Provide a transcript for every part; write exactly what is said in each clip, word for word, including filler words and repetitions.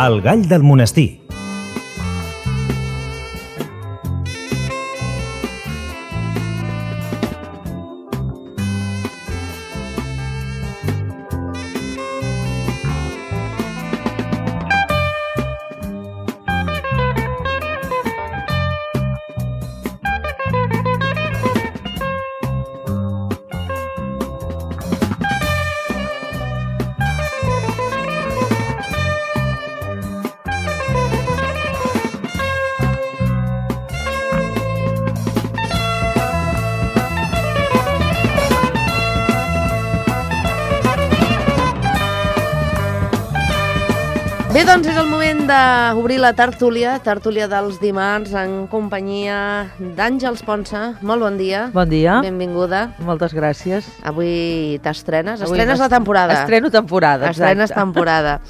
El gall del monestir. Bé, doncs és el moment d'obrir la tertúlia, tertúlia dels dimarts, en companyia d'Àngels Ponsa. Molt bon dia. Bon dia. Benvinguda. Moltes gràcies. Avui t'estrenes. Avui Estrenes la temporada. Estreno temporada, exacte. Estrenes temporada.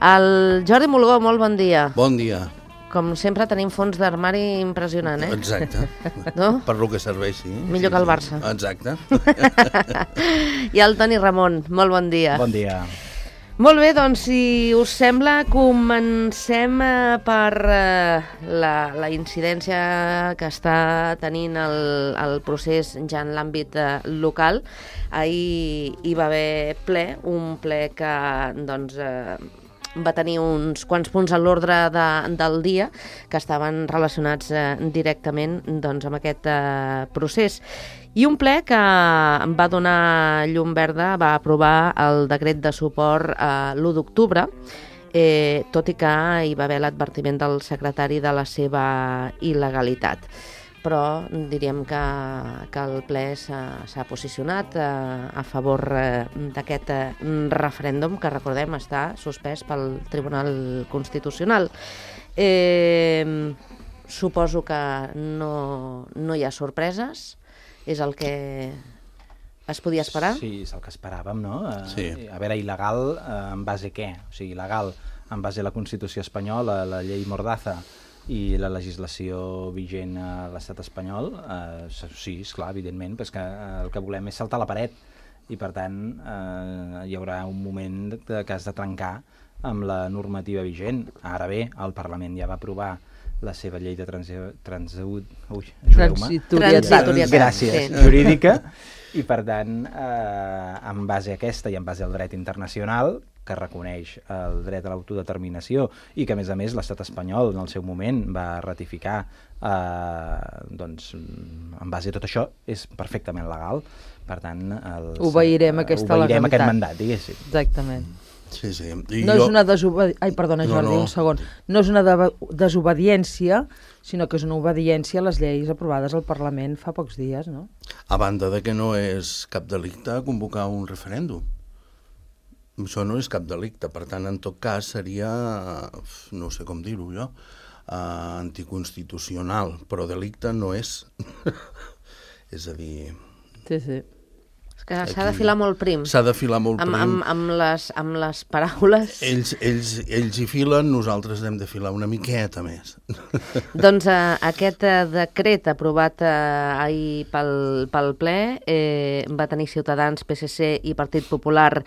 El Jordi Mulgó, molt bon dia. Bon dia. Com sempre tenim fons d'armari impressionant, eh? Exacte. No? Per lo que serveixi. Millor sí, que el sí. Barça. Exacte. I el Toni Ramon, molt bon dia. Bon dia. Molt bé, doncs, si us sembla, comencem eh, per eh, la, la incidència que està tenint el, el procés ja en l'àmbit eh, local. Ahir hi va haver ple, un ple que doncs, eh, va tenir uns quants punts a l'ordre de, del dia que estaven relacionats eh, directament doncs, amb aquest eh, procés. I un ple que va donar llum verda, va aprovar el decret de suport a l'u d'octubre, eh, tot i que hi va haver l'advertiment del secretari de la seva il·legalitat. Però diríem que, que el ple s'ha posicionat eh, a favor eh, d'aquest eh, referèndum que, recordem, està suspès pel Tribunal Constitucional. Eh, suposo que no, no hi ha sorpreses. És el que es podia esperar? Sí, és el que esperàvem, no? Sí. A veure, il·legal eh, en base a què? O sigui, il·legal en base a la Constitució espanyola, la llei Mordaza i la legislació vigent a l'estat espanyol. Eh, sí, esclar, evidentment, però és que el que volem és saltar la paret i, per tant, eh, hi haurà un moment que has de trencar amb la normativa vigent. Ara bé, el Parlament ja va aprovar la seva llei de transitorietat gràcies, sí. jurídica, i per tant, eh, en base a aquesta i en base al dret internacional, que reconeix el dret a l'autodeterminació i que, a més a més, l'estat espanyol en el seu moment va ratificar, eh, doncs, en base a tot això, és perfectament legal. Per tant, els, obeirem aquesta obeirem legalitat. aquest mandat, diguéssim. Exactament. Sí, sí. I no jo... és una desobediència... Ai, perdona, Jordi, no, no. un segon. No és una de desobediència, sinó que és una obediència a les lleis aprovades al Parlament fa pocs dies, no? A banda de que no és cap delicte convocar un referèndum. Això no és cap delicte, per tant, en tot cas seria, no sé com dir-ho jo, uh, anticonstitucional, però delicte no és. És a dir... Sí, sí. És que s'ha de filar molt prim. S'ha de filar molt amb, prim. amb, amb, les, amb les paraules. Ells, ells, ells hi filen, nosaltres hem de filar una miqueta més. Doncs eh, aquest eh, decret aprovat eh, ahir pel, pel ple eh, va tenir Ciutadans, P S C i Partit Popular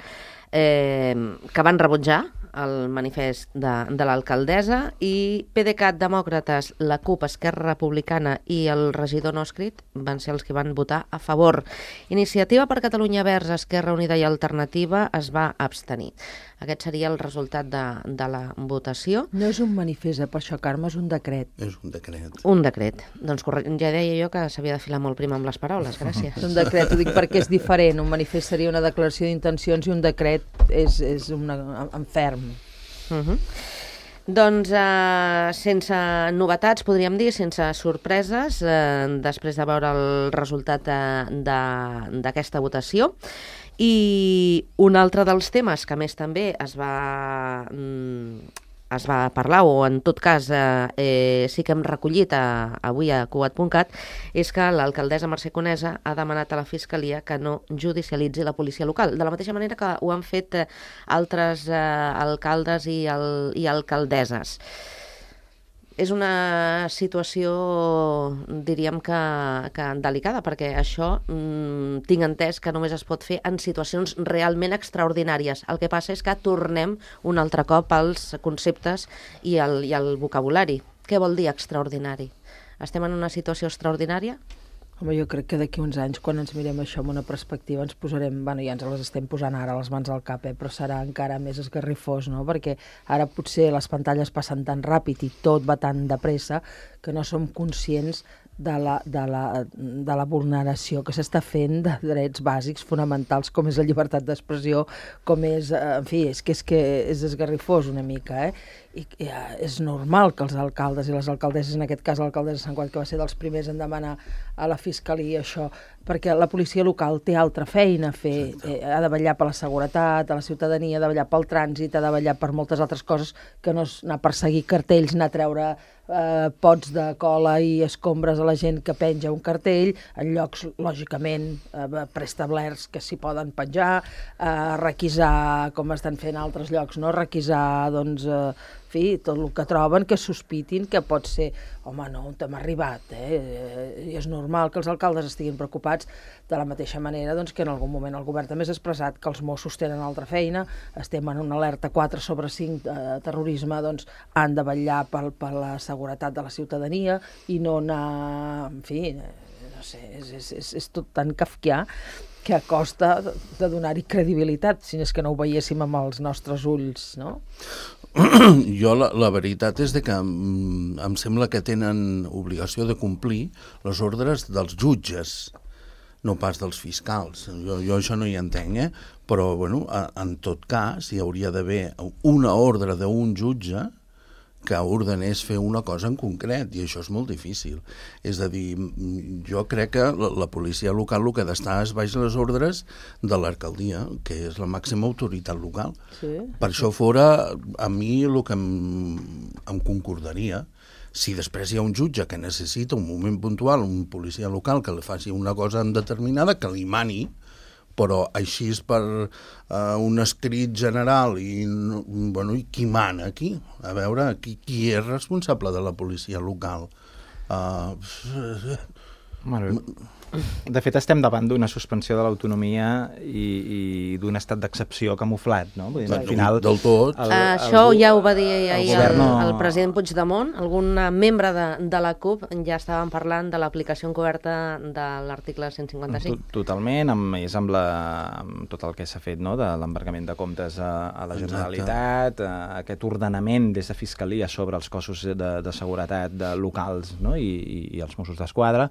eh, que van rebutjar el manifest de, de l'alcaldessa, i PDeCAT, Demòcrates, la CUP, Esquerra Republicana i el regidor no escrit van ser els que van votar a favor. Iniciativa per Catalunya Verds, Esquerra Unida i Alternativa es va abstenir. Aquest seria el resultat de, de la votació. No és un manifest, eh, per això, Carme, és un decret. És un decret. Un decret. Doncs correcte. Ja deia jo que s'havia de filar molt prim amb les paraules, gràcies. És un decret, ho dic perquè és diferent. Un manifest seria una declaració d'intencions i un decret és, és una, en ferm. Uh -huh. Doncs eh, sense novetats, podríem dir, sense sorpreses, eh, després de veure el resultat d'aquesta votació. I un altre dels temes que més també es va, mm, es va parlar, o en tot cas eh, eh, sí que hem recollit a, avui a cugat punt cat, és que l'alcaldessa Mercè Conesa ha demanat a la Fiscalia que no judicialitzi la policia local, de la mateixa manera que ho han fet eh, altres eh, alcaldes i, el, i alcaldesses. és una situació, diríem que, que delicada, perquè això mmm, tinc entès que només es pot fer en situacions realment extraordinàries. El que passa és que tornem un altre cop als conceptes i al, i al vocabulari. Què vol dir extraordinari? Estem en una situació extraordinària? Home, jo crec que d'aquí uns anys, quan ens mirem això amb una perspectiva, ens posarem, bueno, ja ens les estem posant ara a les mans al cap, eh, però serà encara més esgarrifós, no? Perquè ara potser les pantalles passen tan ràpid i tot va tan de pressa que no som conscients de la, de la, de la vulneració que s'està fent de drets bàsics fonamentals, com és la llibertat d'expressió, com és, en fi, és que és, que és esgarrifós una mica, eh? I eh, és normal que els alcaldes i les alcaldesses, en aquest cas l'alcaldessa de Sant Cugat, que va ser dels primers en demanar a la Fiscalia això, perquè la policia local té altra feina a fer, eh, ha de vetllar per la seguretat, a la ciutadania, ha de vetllar pel trànsit, ha de vetllar per moltes altres coses que no és anar a perseguir cartells, anar a treure eh, pots de cola i escombres a la gent que penja un cartell, en llocs, lògicament, eh, preestablerts que s'hi poden penjar, eh, requisar, com estan fent altres llocs, no? Requisar, doncs, eh, en fi, tot el que troben, que sospitin que pot ser, home, no, on hem arribat, eh? I és normal que els alcaldes estiguin preocupats de la mateixa manera doncs, que en algun moment el govern també s'ha expressat que els Mossos tenen altra feina, estem en una alerta quatre sobre cinc de terrorisme, doncs han de vetllar per, per la seguretat de la ciutadania i no anar, en fi, no sé, és, és, és, és tot tan kafkià que a costa de donar-hi credibilitat, si és que no ho veiéssim amb els nostres ulls, no? Jo la, la veritat és de que em, em sembla que tenen obligació de complir les ordres dels jutges, no pas dels fiscals. Jo, jo això no hi entenc, eh? Però bueno, a, en tot cas hi hauria d'haver una ordre d'un jutge que ordenés fer una cosa en concret, i això és molt difícil. És a dir, jo crec que la, la policia local el que ha d'estar és baix les ordres de l'alcaldia, que és la màxima autoritat local. Sí. Per això fora, a mi el que em, em concordaria, si després hi ha un jutge que necessita un moment puntual, un policia local que li faci una cosa determinada, que li mani, però així és per uh, un escrit general i, bueno, i qui mana aquí? A veure, qui, qui és responsable de la policia local? Uh... Bueno, de fet, estem davant d'una suspensió de l'autonomia i, i d'un estat d'excepció camuflat, no? Vull dir, al final, del tot. El, el, Això el, ja ho va dir ahir el, el, no... el president Puigdemont. Algun membre de, de la CUP ja estaven parlant de l'aplicació encoberta de l'article cent cinquanta-cinc. Totalment, amb, és amb, la, amb tot el que s'ha fet, no? De l'embargament de comptes a, a la Generalitat, a, a aquest ordenament des de Fiscalia sobre els cossos de, de seguretat de locals, no? I, i, i els Mossos d'Esquadra.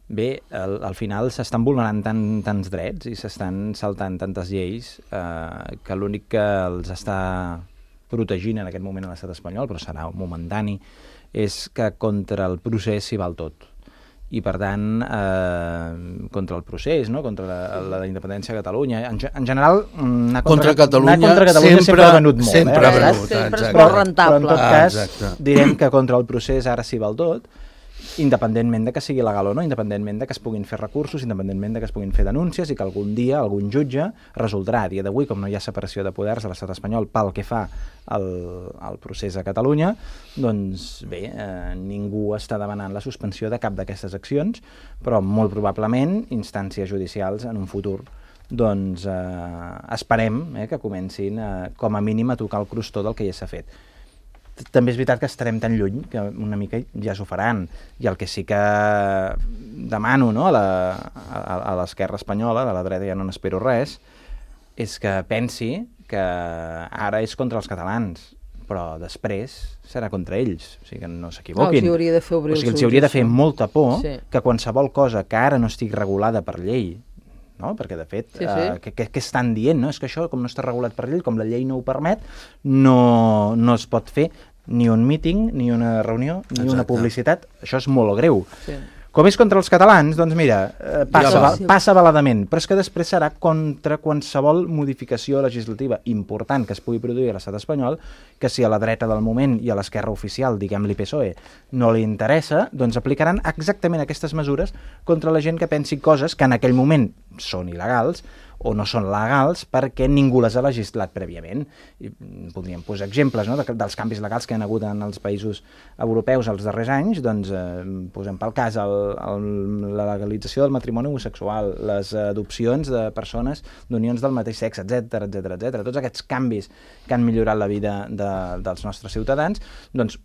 Bé, al, al final s'estan vulnerant tant, tants drets i s'estan saltant tantes lleis eh, que l'únic que els està protegint en aquest moment a l'estat espanyol, però serà momentani, és que contra el procés s'hi val tot. I, per tant, eh, contra el procés, no? Contra la, la independència de Catalunya. En, en general, anar contra, contra Catalunya, anar contra Catalunya sempre, sempre ha venut molt. Sempre eh? ha venut, sempre és molt rentable. Però, en tot cas, ah, direm que contra el procés ara s'hi val tot, independentment de que sigui legal o no, independentment de que es puguin fer recursos, independentment de que es puguin fer denúncies i que algun dia algun jutge resoldrà. A dia d'avui, com no hi ha separació de poders a l'estat espanyol pel que fa al, al procés a Catalunya, doncs bé, eh, ningú està demanant la suspensió de cap d'aquestes accions, però molt probablement instàncies judicials en un futur doncs eh, esperem eh, que comencin eh, com a mínim a tocar el crostó del que ja s'ha fet. També és veritat que estarem tan lluny que una mica ja s'ho faran, i el que sí que demano, no, a, la, a, a l'esquerra espanyola, de la dreta ja no n'espero res, és que pensi que ara és contra els catalans, però després serà contra ells, o sigui que no s'equivoquin. No, els hauria de fer obrir o sigui, els els hauria de fer ulls, molta por sí. Que qualsevol cosa que ara no estigui regulada per llei, no? Perquè de fet, sí, sí. Eh, què, què estan dient? No? És que això, com no està regulat per llei, com la llei no ho permet, no, no es pot fer ni un míting, ni una reunió, ni Exacte. Una publicitat. Això és molt greu. Sí. Com és contra els catalans, doncs mira, eh, passa, ja passa baladament, però és que després serà contra qualsevol modificació legislativa important que es pugui produir a l'estat espanyol, que si a la dreta del moment i a l'esquerra oficial, diguem-li P S O E, no li interessa, doncs aplicaran exactament aquestes mesures contra la gent que pensi coses que en aquell moment són il·legals o no són legals perquè ningú les ha legislat prèviament. I podríem posar exemples, no?, de, dels canvis legals que hi ha hagut en els països europeus els darrers anys. Doncs eh, posem pel cas el, el, la legalització del matrimoni homosexual, les adopcions de persones d'unions del mateix sexe, etcètera, etcètera, etcètera. Tots aquests canvis que han millorat la vida de, dels nostres ciutadans, doncs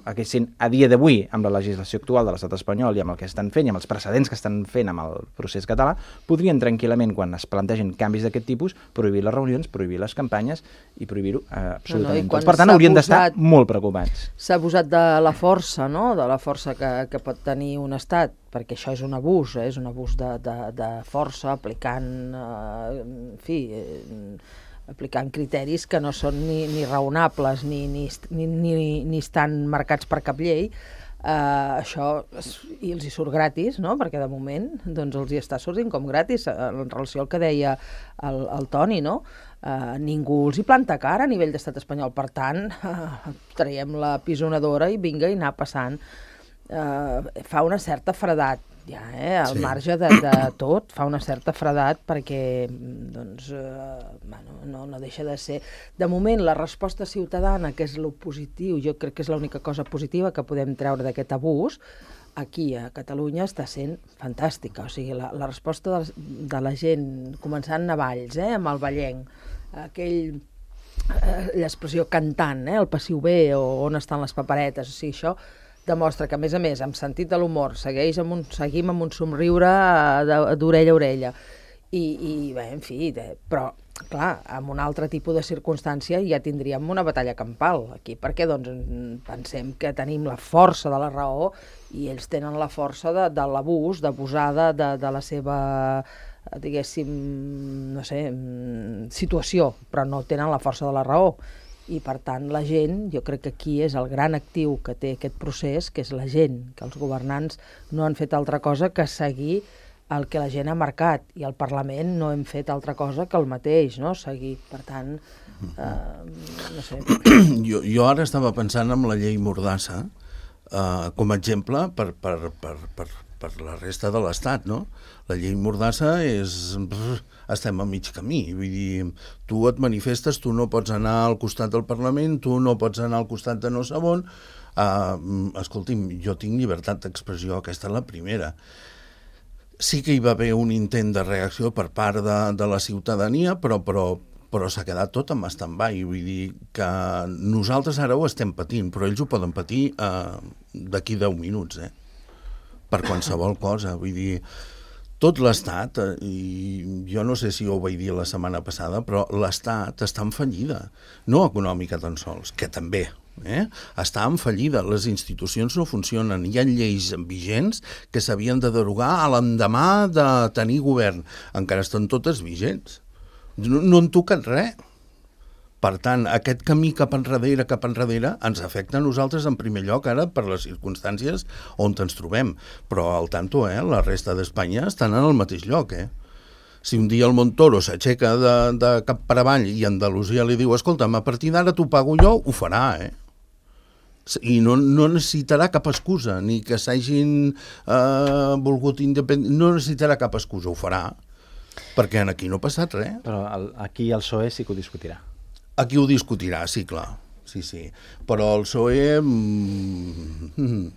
haguessin, a dia d'avui, amb la legislació actual de l'estat espanyol i amb el que estan fent i amb els precedents que estan fent amb el procés català, podrien tranquil·lament, quan es plantegin canvis d'aquest tipus, prohibir les reunions, prohibir les campanyes i prohir-ho eh, absolutament. No, no, per tant, haurien d'estar molt preocupats. S'ha abusat de la força, no?, de la força que, que pot tenir un estat, perquè això és un abús, eh? És un abús de, de, de força, aplicant, eh, en fi... Eh, aplicant criteris que no són ni, ni raonables ni, ni, ni, ni, ni estan marcats per cap llei. Uh, això i els hi surt gratis, no?, perquè de moment doncs, els hi està sortint com gratis en relació al que deia el, el Toni, no? Uh, ningú els hi planta cara a nivell d'estat espanyol, per tant uh, traiem la pisonadora i vinga i anar passant. Uh, fa una certa fredat ja, eh? Al sí. marge de, de tot, fa una certa fredat perquè doncs, eh, bueno, no, no deixa de ser... De moment, la resposta ciutadana, que és lo positiu, jo crec que és l'única cosa positiva que podem treure d'aquest abús, aquí a Catalunya està sent fantàstica. O sigui, la, la resposta de, de la gent, començant a Valls, eh, amb el ballenc, aquell... l'expressió cantant, eh, el passiu bé o on estan les paperetes, o sigui, això demostra que, a més a més, amb sentit de l'humor, segueix amb un, seguim amb un somriure d'orella a orella. I, i bé, en fi, de, però, clar, amb un altre tipus de circumstància ja tindríem una batalla campal aquí, perquè doncs pensem que tenim la força de la raó i ells tenen la força de, de l'abús, d'abusar de, de, de la seva, diguéssim, no sé, situació, però no tenen la força de la raó. I, per tant, la gent, jo crec que aquí és el gran actiu que té aquest procés, que és la gent, que els governants no han fet altra cosa que seguir el que la gent ha marcat, i al Parlament no hem fet altra cosa que el mateix, no?, seguir. Per tant, eh, no sé... Jo, jo ara estava pensant en la llei Mordassa eh, com a exemple per, per, per, per, per la resta de l'Estat, no? La llei Mordassa és... estem a mig camí, vull dir, tu et manifestes, tu no pots anar al costat del Parlament, tu no pots anar al costat de no sé on. Uh, escolti'm, jo tinc llibertat d'expressió, aquesta és la primera. Sí que hi va haver un intent de reacció per part de, de la ciutadania, però, però, però s'ha quedat tot en stand-by, vull dir que nosaltres ara ho estem patint, però ells ho poden patir uh, d'aquí deu minuts, eh? Per qualsevol cosa, vull dir... Tot l'Estat, i jo no sé si ho vaig dir la setmana passada, però l'Estat està en fallida, no econòmica tan sols, que també, eh? Està en fallida, les institucions no funcionen, hi ha lleis vigents que s'havien de derogar a l'endemà de tenir govern, encara estan totes vigents, no, no en toquen res. Per tant, aquest camí cap enrere, cap enrere, ens afecta a nosaltres en primer lloc ara per les circumstàncies on ens trobem. Però al tanto, eh, la resta d'Espanya estan en el mateix lloc, eh? Si un dia el Montoro s'aixeca de, de cap per avall i Andalusia li diu, escolta'm, a partir d'ara t'ho pago jo, ho farà, eh? I no, no necessitarà cap excusa, ni que s'hagin eh, volgut independent, no necessitarà cap excusa, ho farà, perquè aquí no ha passat res. Però el, aquí el P S O E sí que ho discutirà. Aquí ho discutirà, sí, clar. Sí, sí. Però el P S O E... Mm,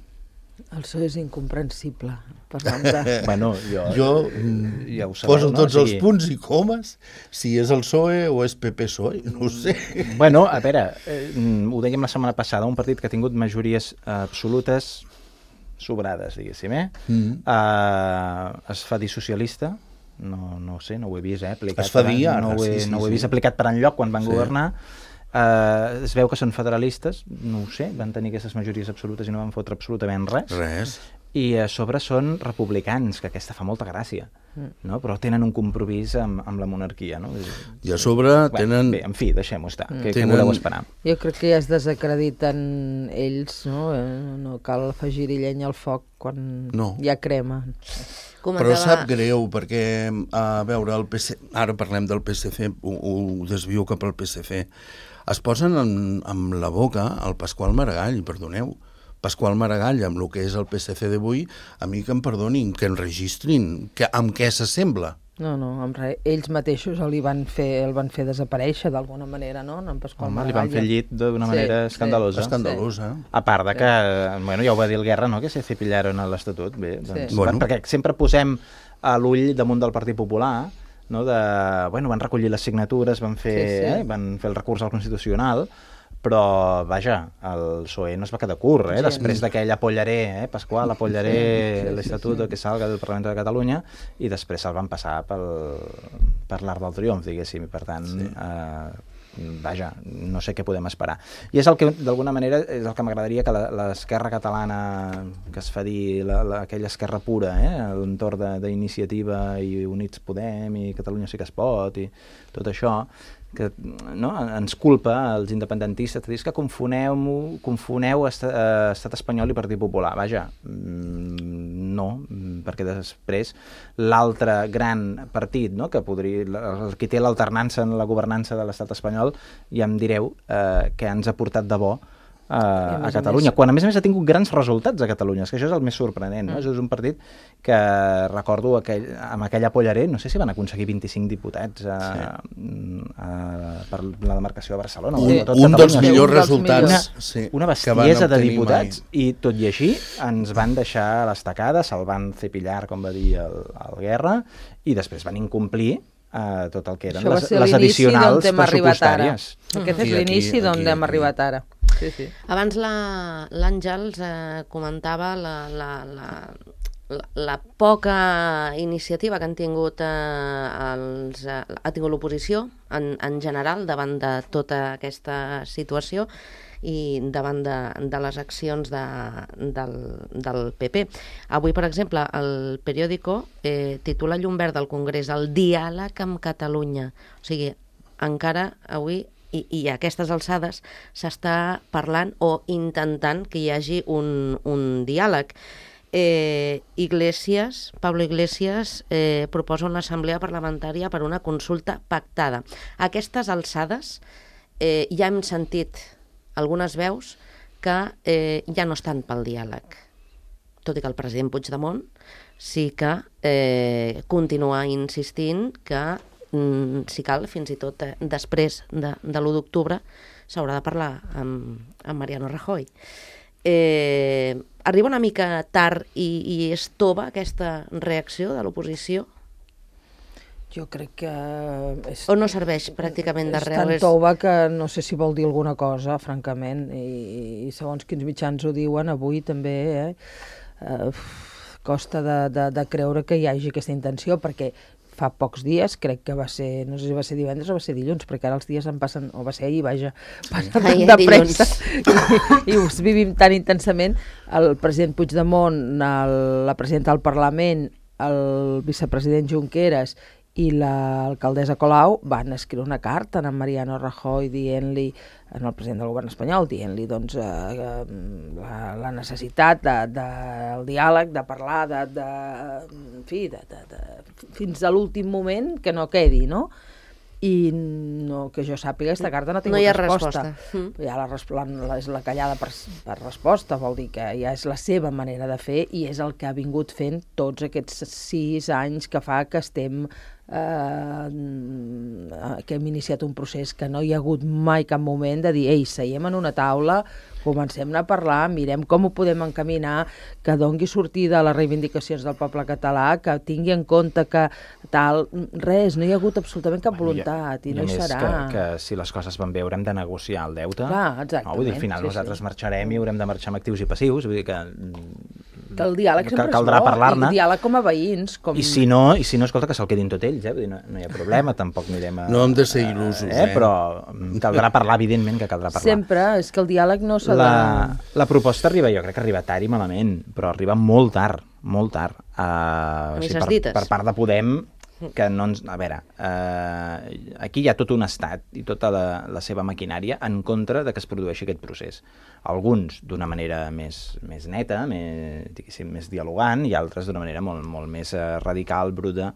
el P S O E és incomprensible. De... bueno, jo, jo ja ho sabeu, poso no? tots O els sigui... punts i comes, si és el P S O E o és P P S O E, no ho sé. Bueno, a veure, eh, ho dèiem la setmana passada, un partit que ha tingut majories absolutes sobrades, diguéssim, eh? Mm. Uh, es fa dir socialista, no, no ho sé, no ho he vist, eh? Aplicat es fa dir ara, no ho he, sí, sí, no ho he sí. vist aplicat per enlloc quan van sí. governar. Uh, es veu que són federalistes, no ho sé, van tenir aquestes majories absolutes i no van fotre absolutament res. Res. I a sobre són republicans, que aquesta fa molta gràcia, no? Però tenen un compromís amb, amb la monarquia, no? I a sobre bueno, tenen... Bé, en fi, deixem-ho estar, mm. que, tenen... que voleu esperar. Jo crec que ja es desacrediten ells, no? No cal afegir-hi llenya al foc quan no. hi ha crema. Comentava... Però sap greu, perquè, a veure, el P S C, ara parlem del P S C, ho, ho desvio cap al P S C, es posen en, amb la boca el Pasqual Maragall, perdoneu, Pasqual Maragall, amb el que és el P S C d'avui, a mi que em perdonin, que enregistrin, que, amb què s'assembla. No, no, en res. Ells mateixos el van fer, el van fer desaparèixer d'alguna manera, no? En Pasqual Home, li Maragall. van fer llit d'una Sí, manera sí. escandalosa. Escandalosa. A part de que, bueno, ja ho va dir el Guerra, no?, que se cepillaron a l'Estatut. Bé, doncs, Sí. bueno. Bueno. Perquè sempre posem a l'ull damunt del Partit Popular, no?, de, bueno, van recollir les signatures, van fer, Sí, sí. Eh, van fer el recurs al Constitucional, però, vaja, el P S O E no es va quedar curt, eh? Gens. Després d'aquell apollaré, eh, Pasqual, apollaré Sí, sí, sí, l'Estatut sí. que salga del Parlament de Catalunya, i després se'l van passar pel, per l'art del triomf, diguéssim, i per tant, sí. eh, vaja, no sé què podem esperar. I és el que, d'alguna manera, és el que m'agradaria que la- l'esquerra catalana, que es fa dir la, la, aquella esquerra pura, eh, a l'entorn de- d'Iniciativa i Units Podem i Catalunya sí que es pot i tot això, que no, ens culpa als independentistes, dius que confoneu, confoneu est eh, Estat espanyol i Partit Popular. Vaja, mm, no, mm, perquè després l'altre gran partit, no?, que podria, el que té l'alternança en la governança de l'Estat espanyol, ja em direu eh, que ens ha portat de bo a, a a més a Catalunya, més- quan a més a més ha tingut grans resultats a Catalunya, és que això és el més sorprenent, no? Mm. Això és un partit que recordo aquell, amb aquella pollaré, no sé si van aconseguir vint-i-cinc diputats a, Sí. a, per la demarcació de Barcelona. Un, o de tot un dels Catalunya. millors Un dels resultats millors. sí, Una que van bestiesa de obtenir diputats, mai. i tot i així ens van deixar a l'estacada, se'l van cepillar, com va dir el, el Guerra, i després van incomplir eh, tot el que eren Això va les, ser les l'inici addicionals d'on hem arribat ara. pressupostàries. Aquest és Aquí, aquí, l'inici d'on aquí, hem aquí. arribat ara. Sí, sí. Abans la- l'Àngels eh, comentava la, la, la, la, la poca iniciativa que han tingut, eh, els, eh, ha tingut l'oposició en, en general davant de tota aquesta situació i davant de, de les accions de, del, del P P. Avui, per exemple, el periòdico eh, titula Llum Verda al Congrés, el diàleg amb Catalunya. O sigui, encara avui i, i a aquestes alçades s'està parlant o intentant que hi hagi un, un diàleg. Eh, Iglesias, Pablo Iglesias eh, proposa una assemblea parlamentària per una consulta pactada. A aquestes alçades eh, ja hem sentit algunes veus que eh, ja no estan pel diàleg, tot i que el president Puigdemont sí que eh, continua insistint que mm, si cal, fins i tot eh, després de, de l'u d'octubre s'haurà de parlar amb, amb Mariano Rajoy. Eh, arriba una mica tard i, i és tova aquesta reacció de l'oposició? Jo crec que... És, O no serveix pràcticament de és res? tan És- tova que no sé si vol dir alguna cosa, francament, i, i segons quins mitjans ho diuen, avui també, eh? Uh, costa de, de, de creure que hi hagi aquesta intenció, perquè fa pocs dies, crec que va ser, no sé si va ser divendres o va ser dilluns, perquè ara els dies em passen, o va ser ahir, vaja, passen Ahir, tan de dilluns. pressa, i, i us vivim tan intensament. El president Puigdemont, el, la presidenta del Parlament, el vicepresident Junqueras i l'alcaldessa Colau van escriure una carta a en Mariano Rajoy dient-li, en el president del govern espanyol, dient-li doncs, eh, la, la necessitat de, de, el diàleg, de parlar, de, de, en fi, de, de, de, fins a l'últim moment que no quedi, no? I no, que jo sàpiga, aquesta carta no ha tingut No hi ha resposta. resposta. Mm. Ja la, res- la, la, és la callada per, per resposta, vol dir que ja és la seva manera de fer i és el que ha vingut fent tots aquests sis anys que fa que estem eh, que hem iniciat un procés que no hi ha hagut mai cap moment de dir, ei, seiem en una taula, comencem a parlar, mirem com ho podem encaminar, que dongui sortida a les reivindicacions del poble català, que tingui en compte que tal, res, no hi ha hagut absolutament cap voluntat i, I no a hi més serà. que, que si les coses van bé haurem de negociar el deute. Clar, exactament, No? Vull dir, al final sí, nosaltres sí. marxarem i haurem de marxar amb actius i passius, vull dir que... Que el diàleg sempre caldrà és bo, parlar-ne. i diàleg com a veïns. Com... I si no, i si no, escolta, que se'l quedin tot ells, eh? Vull dir, no, no hi ha problema, tampoc anirem a... No hem de ser il·lusos, eh? eh? Però mm, caldrà parlar, evidentment que caldrà parlar. Sempre, és que el diàleg no s'ha La, de... la proposta arriba, jo crec que arriba tard i malament, però arriba molt tard, molt tard. Uh, misses per, dites. per part de Podem, que no ens... A veure, uh, aquí hi ha tot un estat i tota la, la seva maquinària en contra de que es produeixi aquest procés. Alguns d'una manera més, més neta, més, diguéssim, més dialogant, i altres d'una manera molt, molt més uh, radical, bruta,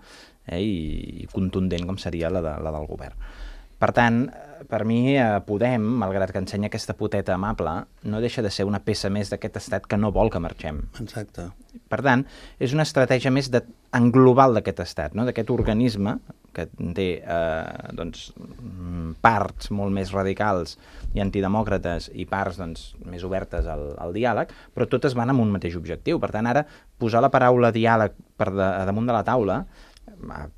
eh, i, i contundent, com seria la, de, la del govern. Per tant, per mi, eh, Podem, malgrat que ensenya aquesta poteta amable, no deixa de ser una peça més d'aquest estat que no vol que marxem. Exacte. Per tant, és una estratègia més de, en global d'aquest estat, no? D'aquest organisme que té eh, doncs, parts molt més radicals i antidemòcrates i parts doncs, més obertes al, al diàleg, però totes van amb un mateix objectiu. Per tant, ara, posar la paraula diàleg per de, damunt de la taula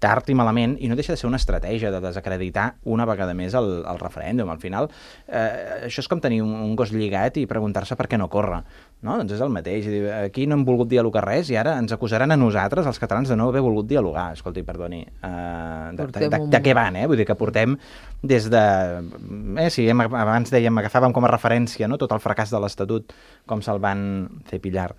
tard i malament, i no deixa de ser una estratègia de desacreditar una vegada més el, el referèndum. Al final, eh, això és com tenir un, un gos lligat i preguntar-se per què no corre. No? Doncs és el mateix. Aquí no hem volgut dialogar res i ara ens acusaran a nosaltres, els catalans, de no haver volgut dialogar. Escolti, perdoni, eh, de, de, de, de què van, eh? Vull dir que portem des de... Eh, si hem, abans dèiem, agafàvem com a referència, no?, tot el fracàs de l'Estatut, com se'l van fer pillar,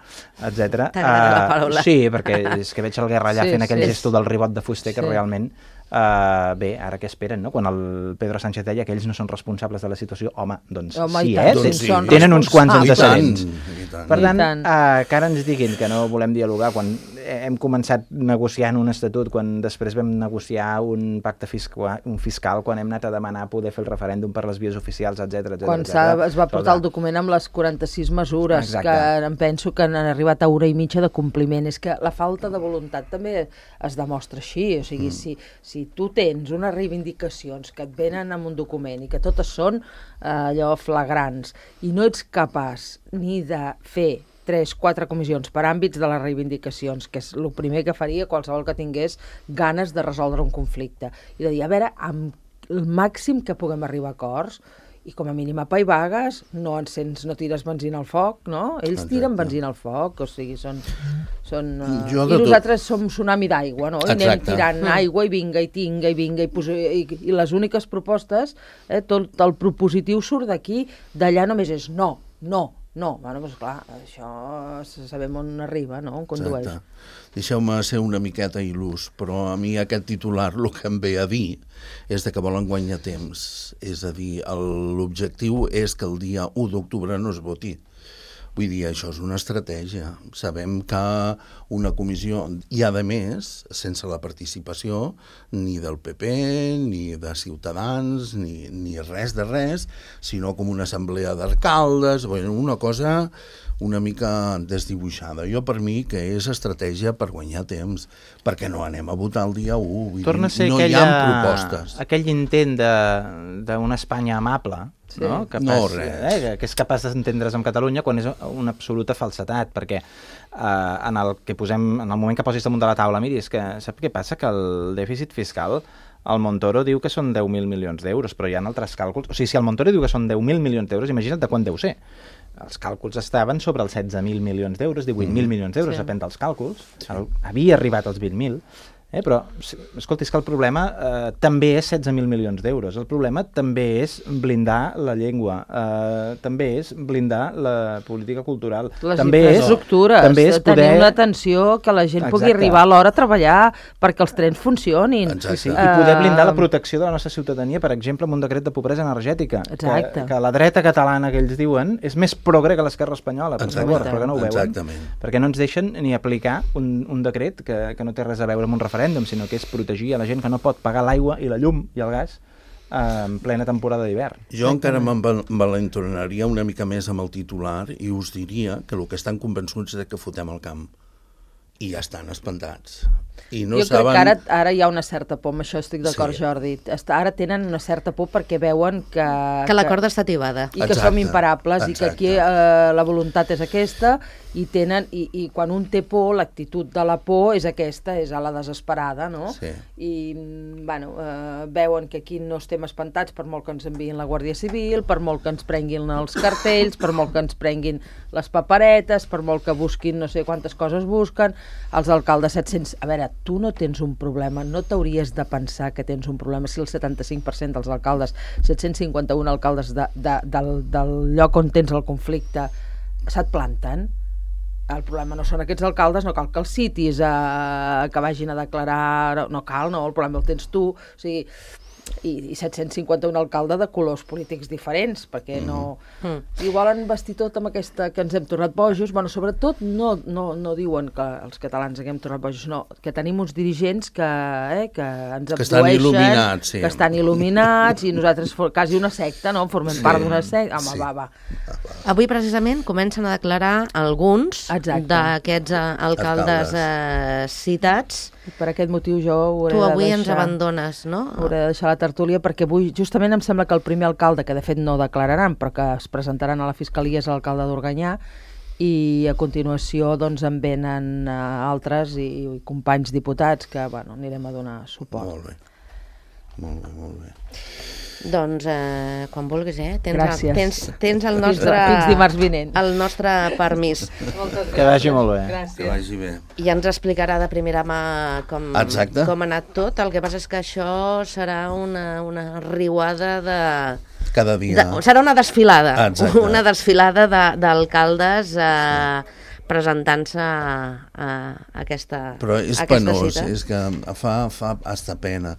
etcètera. T'agrada uh, la paraula. Sí, perquè és que veig el Guerra allà sí, fent aquell sí, gesto del ribot de fuster que sí. realment... Uh, bé, ara què esperen, no? Quan el Pedro Sánchez deia que ells no són responsables de la situació, home, doncs home, sí, eh? Doncs sí. Tenen uns quants antecedents. tant. Per tant, uh, que ara ens diguin que no volem dialogar quan hem començat negociant un estatut, quan després vam negociar un pacte fiscal, un fiscal, quan hem anat a demanar poder fer el referèndum per les vies oficials, etcètera. Quan es va portar el document amb les quaranta-sis mesures, Exacte. que em penso que han arribat a hora i mitja de compliment. És que la falta de voluntat també es demostra així, o sigui, mm. si, si tu tens unes reivindicacions que et venen amb un document i que totes són eh, allò flagrants i no ets capaç ni de fer tres, quatre comissions per àmbits de les reivindicacions, que és el primer que faria qualsevol que tingués ganes de resoldre un conflicte, i de dir, a veure, amb el màxim que puguem arribar a acords, i com a mínim apaivagues, no encens, no tires benzina al foc, no? Ells Exacte. tiren benzina al foc, o sigui, són... són uh... I nosaltres tot... som tsunami d'aigua, no? I Exacte. anem tirant mm. aigua i vinga, i tinga, i vinga, i, posi... I, i les úniques propostes, eh, tot el propositiu surt d'aquí, d'allà només és no, no, no. Bueno, doncs clar, això sabem on arriba, no? On condueix. Exacte. Deixeu-me ser una miqueta il·lús, però a mi aquest titular el que em ve a dir és de que volen guanyar temps. És a dir, l'objectiu és que el dia u d'octubre no es voti. Vull dir, això és una estratègia. Sabem que una comissió, i a més, sense la participació ni del P P, ni de Ciutadans, ni, ni res de res, sinó com una assemblea d'alcaldes, bueno, una cosa una mica desdibuixada. Jo, per mi, que és estratègia per guanyar temps, perquè no anem a votar el dia u. Vull Torna a ser dir, no aquella, hi ha propostes. Aquell intent d'una Espanya amable, sí. no? Capaç, no, res. Eh, que és capaç d'entendre's amb Catalunya quan és una absoluta falsetat, perquè eh, en, el que posem, en el moment que posis damunt de la taula, miri, és que sap què passa? Que el dèficit fiscal, el Montoro diu que són deu mil milions d'euros, però hi ha altres càlculs. O sigui, si el Montoro diu que són deu mil milions d'euros, imagina't de quant deu ser. Els càlculs estaven sobre els setze mil milions d'euros, divuit mil mm. milions d'euros, sí. depèn dels càlculs. Sí. Havia arribat als vint mil. Eh, però, escolta, és que el problema eh, també és setze mil milions d'euros. El problema també és blindar la llengua, eh, també és blindar la política cultural. Les també infraestructures, és, també és poder... tenir una atenció que la gent Exacte. pugui arribar a l'hora a treballar perquè els trens funcionin. Sí, sí. I poder blindar la protecció de la nostra ciutadania, per exemple, amb un decret de pobresa energètica. Exacte. Que, que la dreta catalana que ells diuen és més progre que l'esquerra espanyola, per favor, però que no ho veuen. Exactament. Perquè no ens deixen ni aplicar un, un decret que, que no té res a veure amb un referèndum, sinó que és protegir a la gent que no pot pagar l'aigua i la llum i el gas eh, en plena temporada d'hivern. Jo encara m'envalentonaria una mica més amb el titular i us diria que el que estan convençuts és que fotem el camp. I ja estan espantats. I no jo saben... crec que ara, ara hi ha una certa por, amb això estic d'acord, sí. Jordi. Ara tenen una certa por perquè veuen que... Que la corda està tibada. I que Exacte. som imparables Exacte. i que aquí eh, la voluntat és aquesta i tenen i, i quan un té por, l'actitud de la por és aquesta, és a la desesperada, no? Sí. I, bueno, eh, veuen que aquí no estem espantats per molt que ens enviïn la Guàrdia Civil, per molt que ens prenguin els cartells, per molt que ens prenguin les paperetes, per molt que busquin no sé quantes coses busquen, els alcaldes set-cents... A veure, tu no tens un problema, no t'hauries de pensar que tens un problema si el setanta-cinc per cent dels alcaldes, set-cents cinquanta-un alcaldes de, de, del, del lloc on tens el conflicte, se't planten. El problema no són aquests alcaldes, no cal que els citis, eh, que vagin a declarar, no cal, no, el problema el tens tu. O sigui, i, i set-cents cinquanta-un alcalde de colors polítics diferents, perquè no... Mm. I ho volen vestir tot amb aquesta que ens hem tornat bojos. Bueno, sobretot no, no, no diuen que els catalans ens hem tornat bojos, no, que tenim uns dirigents que, eh, que ens que estan il·luminats, sí. que estan il·luminats, i nosaltres quasi una secta, no? Formem sí. part d'una secta. Home, sí. va, va. Avui, precisament, comencen a declarar alguns d'aquests alcaldes eh, citats. Per aquest motiu jo hauré tu avui de deixar, ens abandones, no? Hauré de deixar la tertúlia, perquè avui justament em sembla que el primer alcalde, que de fet no declararan, però que es presentaran a la Fiscalia, és l'alcalde d'Organyà, i a continuació doncs en venen uh, altres i, i companys diputats que, bueno, anirem a donar suport. Molt bé, molt bé, molt bé. Doncs eh, quan vulguis, eh? Tens, Gràcies. Tens, tens el nostre... Fins dimarts vinent. El nostre permís. Que vagi molt bé. Gràcies. Que vagi bé. I ens explicarà de primera mà com, Exacte. com ha anat tot. El que passa és que això serà una, una riuada de... Cada dia. De, serà una desfilada. Exacte. Una desfilada d'alcaldes eh, presentant-se a, a aquesta Però és aquesta penós, cita. és que fa, fa hasta pena.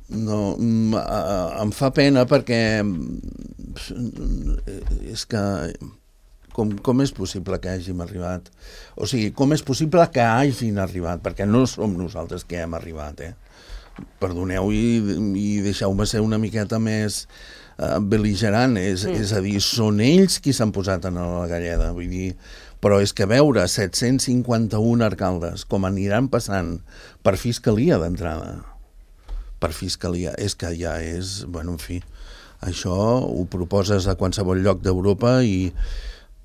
No, em fa pena perquè és que com, com és possible que hàgim arribat? O sigui, com és possible que hagin arribat? Perquè no som nosaltres que hem arribat, eh? Perdoneu i, i deixeu-me ser una miqueta més uh, bel·ligerant, és, mm. és a dir, són ells qui s'han posat en la galleda, vull dir, però és que veure set-cents cinquanta-un alcaldes com aniran passant per fiscalia d'entrada, per fiscalia, és que ja és, bueno, en fi, això ho proposes a qualsevol lloc d'Europa i,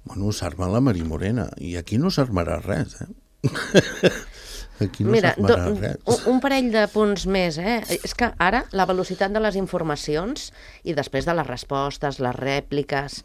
bueno, s'arma la Marí Morena, i aquí no s'armarà res, eh? Aquí no Mira, s'armarà do, res. un, un parell de punts més, eh? És que ara la velocitat de les informacions i després de les respostes, les rèpliques,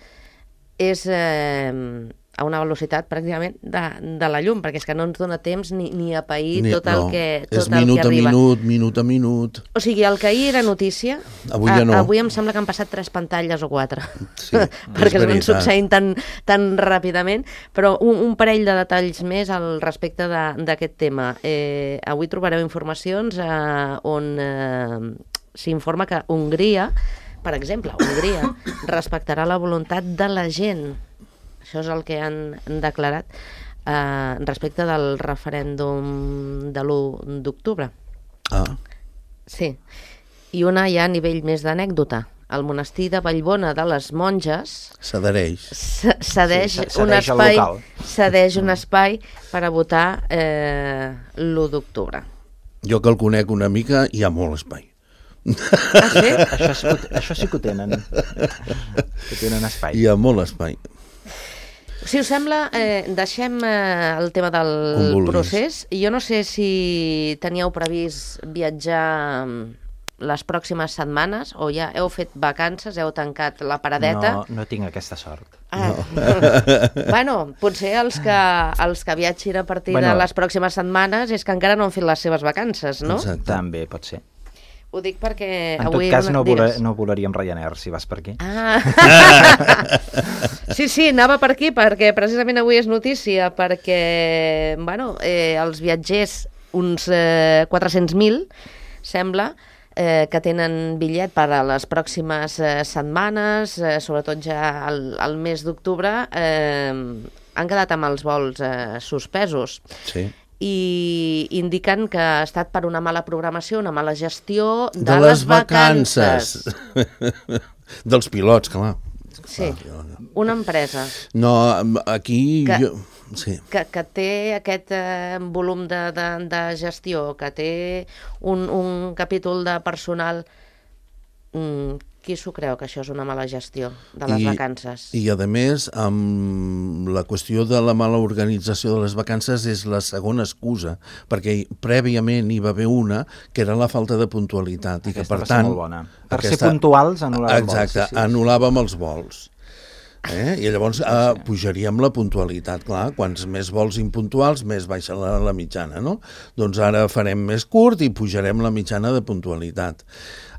és... Eh, a una velocitat pràcticament de, de la llum, perquè és que no ens dona temps ni, ni a pair ni, tot el no, que, tot és el minut que arriba. a minut, minut a minut. O sigui, el que ahir era notícia, avui ja no. A, avui em sembla que han passat tres pantalles o quatre, sí, perquè es van succeint tan, tan ràpidament, però un, un parell de detalls més al respecte d'aquest tema. Eh, avui trobareu informacions eh, on eh, s'informa que Hongria, per exemple, Hongria respectarà la voluntat de la gent. Això és el que han declarat eh, respecte del referèndum de l'u d'octubre. Ah. Sí. I una ja a nivell més d'anècdota. El monestir de Vallbona de les Monges s'adhereix. Cedeix, sí, un espai, cedeix un espai per a votar eh, l'u d'octubre. Jo que el conec una mica, hi ha molt espai. Ah, sí? Això, sí, això sí que ho tenen. Que tenen espai. Hi ha molt espai. Si us sembla, eh, deixem eh, el tema del procés. Jo no sé si teníeu previst viatjar les pròximes setmanes o ja heu fet vacances, heu tancat la paradeta. No, no tinc aquesta sort. Ah. No. Bueno, potser els que, els que viatgin a partir bueno, de les pròximes setmanes és que encara no han fet les seves vacances, no? Exacte. També pot ser. Ho dic perquè... En avui tot cas, no, voler, digues. no volaríem Ryanair, si vas per aquí. Ah. Sí, sí, anava per aquí, perquè precisament avui és notícia, perquè, bueno, eh, els viatgers, uns eh, quatre-cents mil, sembla, eh, que tenen bitllet per a les pròximes eh, setmanes, eh, sobretot ja al, al mes d'octubre, eh, han quedat amb els vols eh, suspesos. Sí. I indiquen que ha estat per una mala programació, una mala gestió de, de les, les vacances. vacances. Dels pilots, clar. Sí, una empresa. No, aquí... Que, jo... sí. que, que té aquest eh, volum de, de, de gestió, que té un, un capítol de personal... Mm, qui s'ho creu que això és una mala gestió de les I, vacances? I, a més, amb la qüestió de la mala organització de les vacances és la segona excusa, perquè prèviament hi va haver una que era la falta de puntualitat. Aquesta i que, per va tant, ser molt bona. Per aquesta... ser puntuals, anul·làvem Exacte, vols. Exacte, sí, sí. anul·làvem els vols. Eh? I llavors eh, pujaríem la puntualitat, clar, quants més vols impuntuals, més baixa la, la mitjana, no? Doncs ara farem més curt i pujarem la mitjana de puntualitat.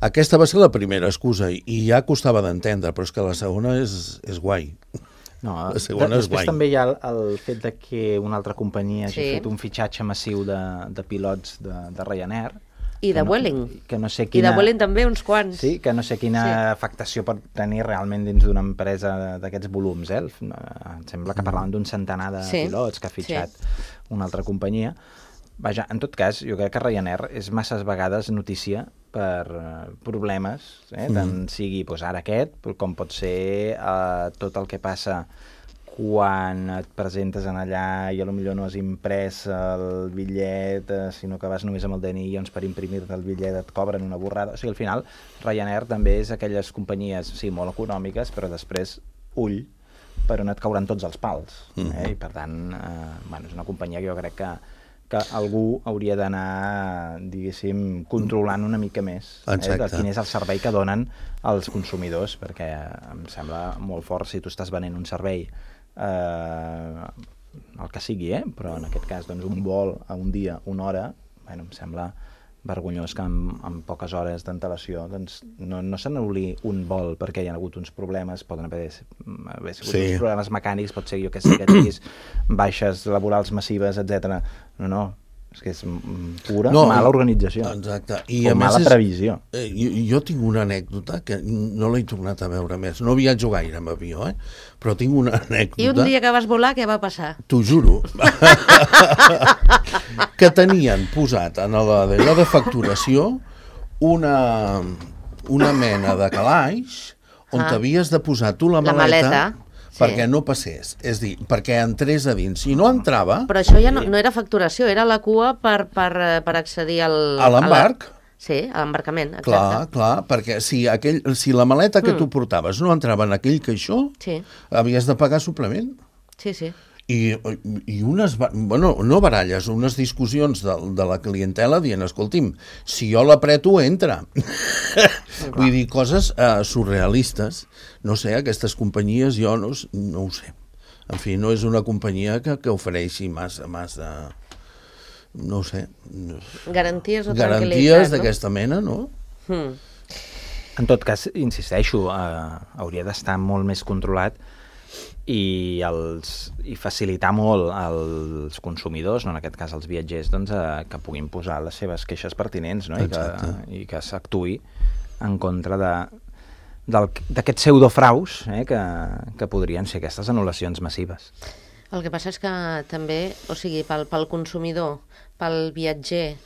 Aquesta va ser la primera excusa i ja costava d'entendre, però és que la segona és, és guai. No, la segona és després guai. també hi ha el, el fet de que una altra companyia hagi sí. fet un fitxatge massiu de, de pilots de, de Ryanair I de Vueling. No, que no sé quina... quina... I de Vueling també, uns quants. Sí, que no sé quina sí. afectació pot tenir realment dins d'una empresa d'aquests volums, eh? Em sembla que parlaven d'un centenar de sí. pilots que ha fitxat sí. una altra companyia. Vaja, en tot cas, jo crec que Ryanair és masses vegades notícia per problemes, eh? tant mm. sigui doncs, ara aquest, com pot ser eh, tot el que passa quan et presentes en allà i potser no has imprès el bitllet, eh, sinó que vas només amb el D N I, doncs per imprimir-te el bitllet et cobren una borrada. O sigui, al final, Ryanair també és aquelles companyies, sí, molt econòmiques, però després, ull, per on et cauran tots els pals. Eh? Mm. I per tant, eh, bueno, és una companyia que jo crec que que algú hauria d'anar, diguéssim, controlant una mica més eh, de quin és el servei que donen als consumidors, perquè em sembla molt fort si tu estàs venent un servei, eh, el que sigui, eh? Però en aquest cas doncs, un vol a un dia, una hora, bueno, em sembla vergonyós que en, en poques hores d'antelació doncs, no, no se n'anul·li un vol perquè hi ha hagut uns problemes, poden haver, haver sigut sí. uns problemes mecànics, pot ser jo que sé que tinguis baixes laborals massives, etcètera. No, no, és que és pura no, mala organització. Exacte. I o a mala és, previsió. Eh, jo, jo tinc una anècdota que no l'he tornat a veure més. No viatjo gaire amb avió, eh? Però tinc una anècdota... I un dia que vas volar, què va passar? T'ho juro. Que tenien posat en allò de facturació una, una mena de calaix on ah. t'havies de posar tu la maleta... La maleta. Perquè sí. no passés, és dir, perquè entrés a dins. Si no entrava... Però això ja no, no era facturació, era la cua per, per, per accedir al... A l'embarc. La... Sí, a l'embarcament, exacte. Clar, clar, perquè si, aquell, si la maleta que mm. tu portaves no entrava en aquell caixó, sí. havies de pagar suplement. Sí, sí. I, i unes, bueno, no baralles, unes discussions de, de la clientela dient, escolti'm, si jo l'apreto, entra. Vull dir, coses uh, surrealistes. No sé, aquestes companyies jo no, no ho sé. En fi, no és una companyia que, que ofereixi massa, massa, no ho sé. Garanties o Garanties d'aquesta no? mena, no? Hmm. En tot cas, insisteixo, uh, hauria d'estar molt més controlat i, els, i facilitar molt als consumidors, no, en aquest cas als viatgers, doncs, eh, que puguin posar les seves queixes pertinents, no? I que, i que s'actuï en contra de d'aquests pseudofraus eh, que, que podrien ser aquestes anul·lacions massives. El que passa és que també, o sigui, pel, pel consumidor, pel viatger,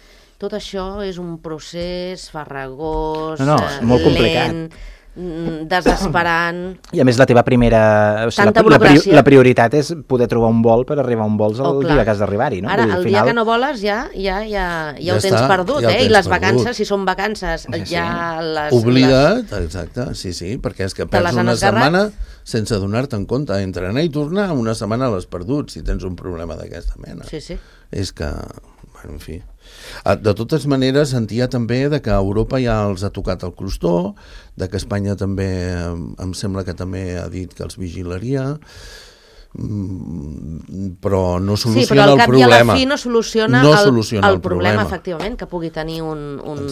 tot això és un procés farragós, no, no, és molt lent, complicat. Desesperant. I a més la teva primera... O sigui, la, la, la prioritat és poder trobar un vol per arribar a un vols el oh, dia que has d'arribar-hi, no? Ara, dir, el final... dia que no voles ja, ja, ja, ja, ja ho tens està, perdut, ja eh? tens I les perdut. vacances, si són vacances, sí, ja sí. les... Oblida't, les... exacte, sí, sí, perquè és que perds una setmana sense donar-te en compte. Entre anar i tornar, una setmana l'has perdut, si tens un problema d'aquesta mena. Sí, sí. És que, bueno, en fi... De totes maneres, sentia també de que Europa ja els ha tocat el crostó, de que Espanya també, em sembla que també ha dit que els vigilaria, però no soluciona el problema. Sí, però al cap i a la fi no soluciona, no el, soluciona el, el problema, problema, efectivament, que pugui tenir un, un,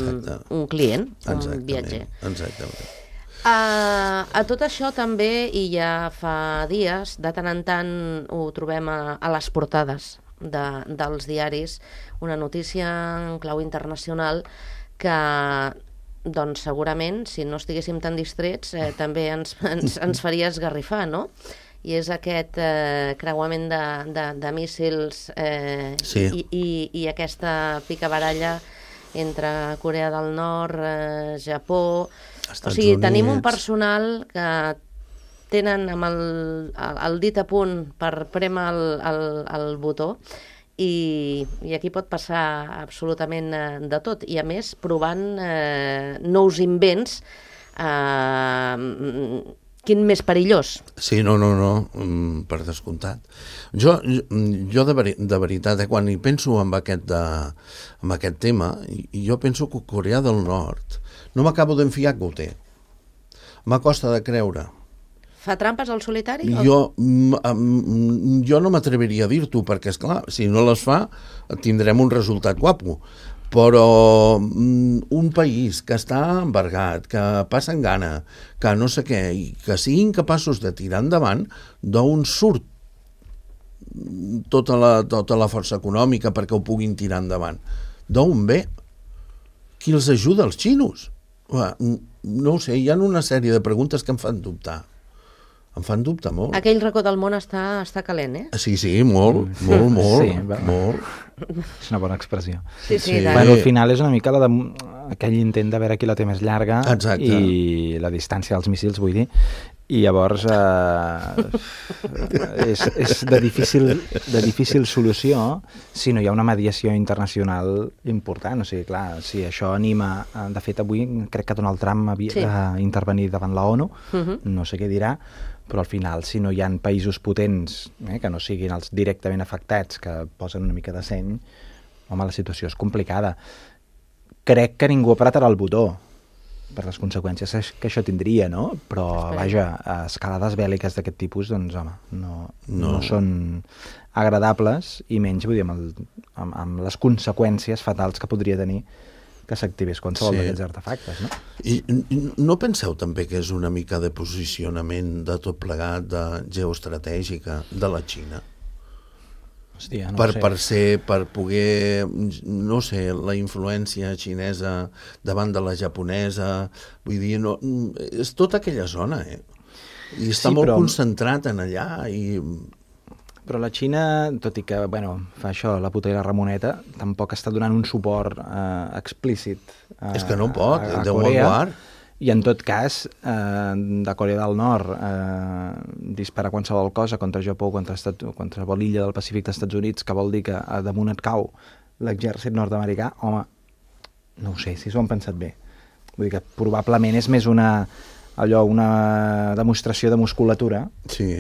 un client, un viatger. Exactament. Uh, a tot això també, i ja fa dies, de tant en tant ho trobem a, a les portades de, dels diaris, una notícia en clau internacional que doncs segurament, si no estiguéssim tan distrets, eh, també ens, ens, ens faria esgarrifar, no? I és aquest eh, creuament de, de, de míssils eh, sí. i, i, i aquesta picabaralla entre Corea del Nord, eh, Japó... Estats o sigui, Units. Tenim un personal que tenen amb el, el, el dit a punt per prémer el, el, el botó i, i aquí pot passar absolutament eh, de tot. I a més, provant eh, nous invents, eh, quin més perillós. Sí, no, no, no, per descomptat. Jo, jo de, veri, de veritat, eh, quan hi penso en aquest, de, en aquest tema, jo penso que Corea del Nord no m'acabo d'enfiar que ho té. M'acosta de creure. Fa trampes al solitari? Jo, jo no m'atreviria a dir-t'ho, perquè, esclar, si no les fa, tindrem un resultat guapo. Però un país que està embargat, que passa en gana, que no sé què, i que siguin capaços de tirar endavant, d'on surt tota la, tota la força econòmica perquè ho puguin tirar endavant? D'on ve? qui els ajuda, els xinos? No ho sé, hi ha una sèrie de preguntes que em fan dubtar. Em fan dubtar molt. Aquell racó del món està, està calent, eh? Sí, sí, molt, molt, molt, sí, molt. És una bona expressió. Sí, sí, Sí. sí. Bueno, al final és una mica la de, aquell intent de veure qui la té més llarga. Exacte. I la distància dels míssils, vull dir. I llavors eh, és, és de, difícil, de difícil solució si no hi ha una mediació internacional important. O sigui, clar, si això anima... De fet, avui crec que Donald Trump havia Sí. d'intervenir davant la ONU, Uh-huh. no sé què dirà, però al final, si no hi ha països potents eh, que no siguin els directament afectats, que posen una mica de seny, home, la situació és complicada. Crec que ningú apretarà el botó per les conseqüències que això tindria, no? Però, Esperem. vaja, escalades bèl·liques d'aquest tipus, doncs, home, no, no. No. no són agradables, i menys, vull dir, amb, el, amb, amb les conseqüències fatals que podria tenir que s'activés qualsevol Sí. d'aquests artefactes, no? I, I no penseu també que és una mica de posicionament de tot plegat, de geoestratègica, de la Xina? Hòstia, no per, ho sé. per ser, per poder, no sé, la influència xinesa davant de la japonesa, vull dir, no, és tota aquella zona, eh? I està Sí, molt però- concentrat en allà i... Però la Xina, tot i que, bueno, fa això, la puta i la Ramoneta, tampoc està donant un suport eh, explícit a, És que no pot, a, a Déu Corea. me'n guard. I en tot cas, eh, de Corea del Nord, eh, disparar qualsevol cosa contra Japó, contra Estat, qualsevol illa del Pacífic dels Estats Units, que vol dir que a damunt et cau l'exèrcit nord-americà, home, no ho sé, si s'ho han pensat bé. Vull dir que probablement és més una, allò, una demostració de musculatura Sí,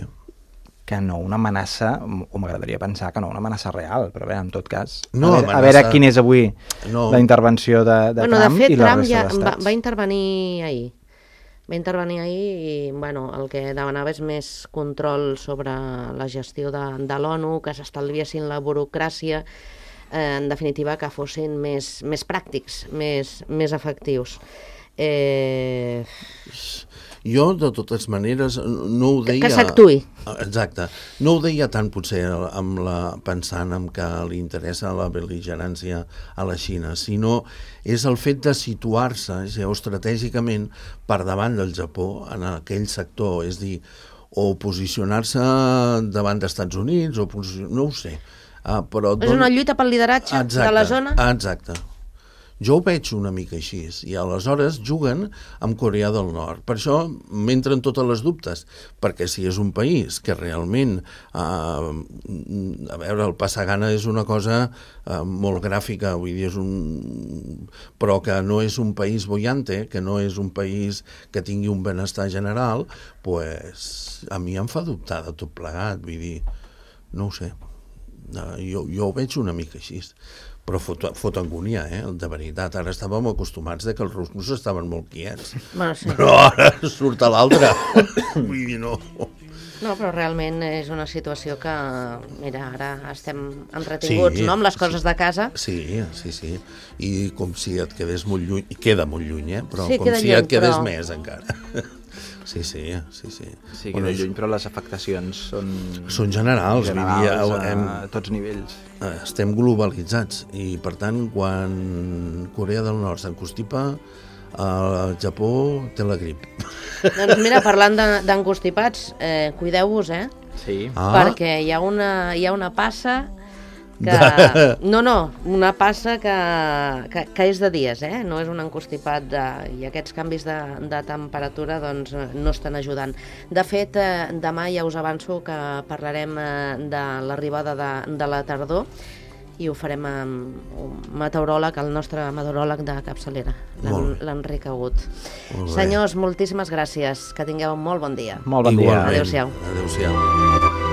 que no una amenaça, o m'agradaria pensar que no una amenaça real, però a veure, en tot cas, No, a, veure, a amenaça- veure quina és avui No. la intervenció de, de bueno, Trump de fet, i la Trump resta ja va, d'estats. va intervenir ahir. Va intervenir ahir i bueno, el que demanava és més control sobre la gestió de, de l'ONU, que s'estalviessin la burocràcia, eh, en definitiva que fossin més, més pràctics, més, més efectius. Eh, jo, de totes maneres, no ho Que- deia... que s'actuï. Exacte. No ho deia tant, potser, amb la, pensant en que li interessa la bel·ligerància a la Xina, sinó és el fet de situar-se geoestratègicament per davant del Japó en aquell sector, és dir, o posicionar-se davant dels Estats Units, o posicionar... no ho sé. Uh, però és una lluita pel lideratge exacte, de la zona? Exacte. Jo ho veig una mica així, i aleshores juguen amb Corea del Nord. Per això m'entren totes les dubtes, perquè si és un país que realment, eh, a veure, el Passagana és una cosa eh, molt gràfica, vull dir, és un... però que no és un país bollante, que no és un país que tingui un benestar general, pues, a mi em fa dubtar de tot plegat, vull dir, no ho sé. Jo, jo ho veig una mica així, però fot, fot angúnia, eh? De veritat. Ara estàvem acostumats de que els russos estaven molt quiets, Bueno, sí. però ara surt a l'altre. Vull dir, no. No, però realment és una situació que, mira, ara estem entretinguts, Sí, no?, amb les sí. coses de casa. Sí, sí, sí. I com si et quedés molt lluny, i queda molt lluny, eh? Però Sí, com queda si lluny, et quedés però- més, encara. Sí, sí, sí, sí. Sí, Bueno, queda lluny, però les afectacions són... Són generals, vull dir, generals a, hem- a tots nivells. Eh, estem globalitzats i per tant quan Corea del Nord s'encostipa, el Japó té la grip. Doncs mira, parlant de- d'encostipats, eh, cuideu-vos, eh? Sí. Ah, Perquè hi ha una, hi ha una passa que... De- No, no, una passa que, que, que és de dies, eh? No és un encostipat de... I aquests canvis de, de temperatura doncs, no estan ajudant. De fet, eh, demà ja us avanço que parlarem eh, de l'arribada de, de la tardor i ho farem amb un meteoròleg, el nostre meteoròleg de capçalera, Molt bé. l'Enric Agut. Molt bé. Senyors, moltíssimes gràcies. Que tingueu un molt bon dia. Molt bon dia. Igualment. Adéu-siau. Adéu-siau.